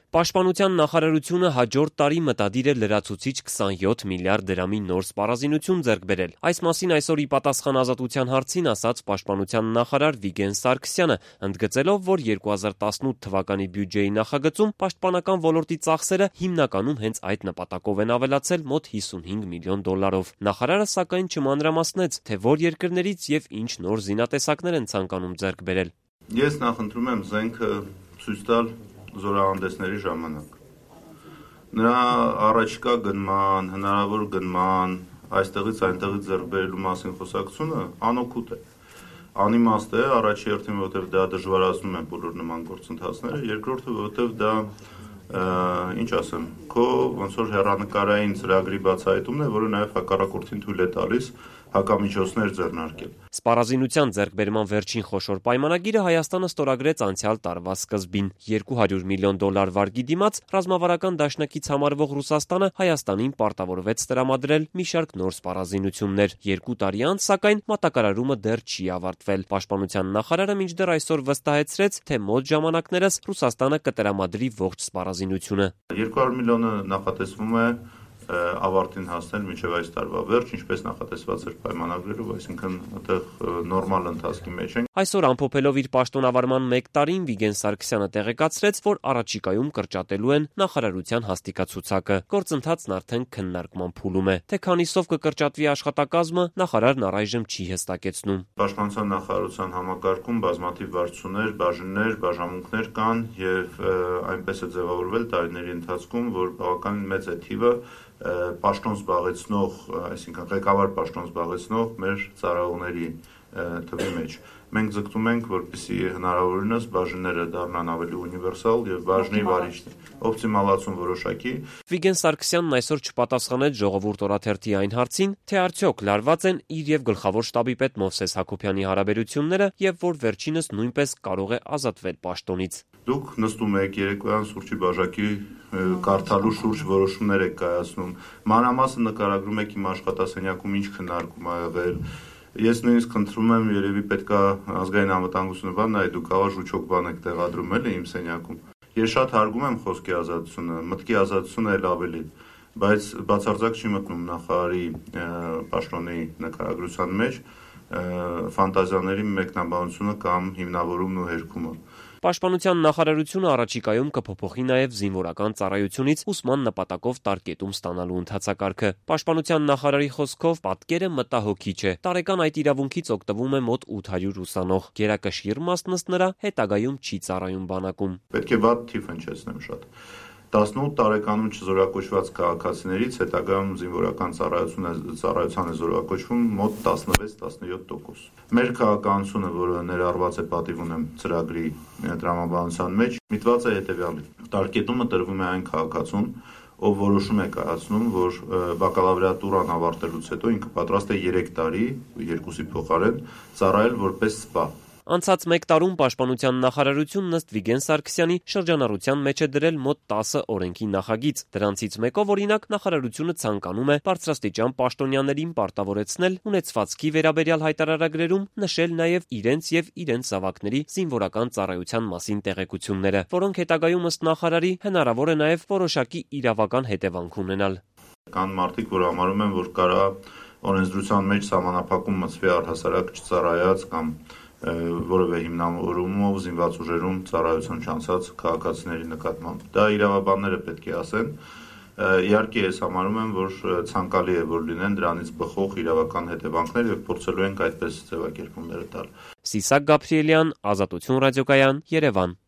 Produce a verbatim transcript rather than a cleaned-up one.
Պաշտպանության նախարարությունը հաջորդ տարի մտադիր է լրացուցիչ քսանյոթ միլիարդ դրամի նոր սպառազինություն ձեռք բերել։ Այս մասին այսօր ի պատասխան Ազատության հարցին ասաց Պաշտպանության նախարար Վիգեն Սարգսյանը, ընդգծելով, որ երկու հազար տասնութ թվականի բյուջեի նախագծում պաշտպանական ոլորտի ծախսերը հիմնականում հենց այդ նպատակով են ավելացել մոտ հիսունհինգ միլիոն դոլարով։ Նախարարը սակայն չմանրամասնեց, թե որ երկրներից եւ ինչ նոր զինատեսակներ են ցանկանում ձեռք բերել։ Ես նախընտրում եմ զենքը ցույց տալ զորահանդեսների ժամանակ։ Նրա առաջկա գնման, հնարավոր գնման, այստեղից այնտեղից ձեռք բերելու մասին խոսակցությունը անօգուտ է։ Անիմաստ է, առաջի հերթին, որովհետև դա դժվարացնում է բոլոր նման գործընթացները, երկրորդը, որովհետև դա ինչ ասեմ, քո ոնց որ հեռանկարային ծրագրի բացահայտումն է, որը նաև հակառակորդին թույլ է տալիս հակամիջոցներ ձեռնարկել։ Սպառազինության ձեռքբերման վերջին խոշոր պայմանագիրը Հայաստանը ստորագրեց անցյալ տարվա սկզբին։ երկու հարյուր միլիոն դոլար վարկի դիմաց ռազմավարական դաշնակից համարվող Ռուսաստանը Հայաստանին պարտավորվեց տրամադրել մի շարք նոր սպառազինություններ։ Երկու տարի անց, սակայն, մատակարարումը դեռ չի ավարտվել։ Պաշտպանության նախարարը մինչդեռ այսօր վստահեցրեց, թե մոտ ժամանակներս Ռուսաստանը կտրամադրի ողջ սպառազինությունը։ երկու հարյուր միլիոնը նախատեսվում է ավարտին հասնել մինչև այս տարվա վերջ, ինչպես նախատեսված էր պայմանագրերով, այսինքն այդտեղ նորմալ ընթացքի մեջ ենք։ Այսօր ամփոփելով իր պաշտոնավարման մեկ տարին Վիգեն Սարգսյանը տեղեկացրեց, որ առաջիկայում կրճատելու են նախարարության հաստիկացուցակը։ Գործընթացն արդեն քննարկման փուլում է։ Թե քանիսով կկրճատվի աշխատակազմը, նախարարն առայժմ չի հստակեցնում։ Պաշտպանության նախարարության համակարգում բազմաթիվ վարչություններ, բաժիններ, բաժանմունքներ կան եւ այնպես է ձևավորվել տարիների ընթացքում, որ բավականին մեծ է թիվը պաշտոն զբաղեցնող, այսինքն ղեկավար պաշտոն զբաղեցնող մեր ծառայողների թվի մեջ։ Մենք ձգտում ենք, որպեսզի հնարավորինս բաժինները դառնան ավելի ունիվերսալ եւ բաժնի վարիչներ օպտիմալացում որոշակի։ Վիգեն Սարգսյանն այսօր չպատասխանեց Ժողովուրդ օրաթերթի այն հարցին, թե արդյոք լարված են իր եւ գլխավոր շտաբի պետ Մովսես Հակոբյանի հարաբերությունները եւ որ վերջինս նույնպես կարող է ազատվել պաշտոնից։ Դուք նստում եք երեկոյան սուրճի բաժակի կարդալու շուրջ որոշումներ եք կայացնում, մանրամասն նկարագրում եք իմ աշխատասենյակում ինչ քննարկում ա եղել։ Ես նույնիսկ խնդրում եմ, երևի պետքա ազգային անվտանգությունը բան նայ, դուք ավար ժուչոք բան եք տեղադրում էլի իմ սենյակում։ Ես շատ հարգում եմ խոսքի ազատությունը, մտքի ազատությունը էլ ավելի, բայց բացարձակ չի մտնում նախարարի պաշտոնի նկարագրության մեջ ֆանտազիաների մեկնաբանությունը կամ հիմնավորումն ու հերքումը։ Պաշտպանության նախարարությունը առաջիկայում կփոփոխի նաև զինվորական ծառայությունից ուսման նպատակով տարկետում ստանալու ընթացակարգը։ Պաշտպանության նախարարի խոսքով պատկերը մտահոգիչ է։ Տարեկան այդ իրավունքից օգտվում է մոտ ութ հարյուր ուսանող։ Գերակշիռ մասն ըստ նրա հետագայում չի ծառայում բանակում։ Պետք է վատ թիվ հնչեցնեմ շատ։ տասնութ տարեկանում չզորակոչված քաղաքացիներից հետագայում զինվորական ծառայության է զորակոչվում մոտ տասնվեց տասնյոթ տոկոս։ Մեր քաղաքականությունը, որը ներառված է պատիվ ունեմ ծրագրի տրամաբանության մեջ, միտված է հետևյալի. տարկետումը տրվում է այն քաղաքացուն, ով որոշում է կայացնում, որ բակալավրիատուրան ավարտելուց հետո ինքը պատրաստ է երեք տարի, երկուսի փոխարեն, ծառայել որպես սպա։ Անցած մեկ տարում Պաշտպանության նախարարությունն ըստ Վիգեն Սարգսյանի շրջանառության մեջ է դրել մոտ տասը օրենքի նախագիծ։ Դրանցից մեկով, օրինակ, նախարարությունը ցանկանում է բարձրաստիճան պաշտոնյաներին պարտավորեցնել ունեցվածքի վերաբերյալ հայտարարագրերում նշել նաև իրենց եւ իրենց զավակների զինվորական ծառայության մասին տեղեկությունները, որոնք հետագայում ըստ նախարարի հնարավոր է նաև որոշակի իրավական հետևանք ունենալ։ Կան մարդիկ, որ համարում են, որ կարա օրենսդրության մեջ սահմանափակում մտցվի առհասարակ չծառայած կամ որևէ հիմնավորումով զինված ուժերում ծառայություն չանցած քաղաքացիների նկատմամբ։ Դա իրավաբանները պետք է ասեն։ Իհարկե ես համարում եմ, որ ցանկալի է, որ լինեն դրանից բխող իրավական հետևանքներ եւ փորձելու ենք այդպես ձևակերպումները տալ։ Սիսակ Գաբրիելյան, Ազատություն ռադիոկայան, Երևան։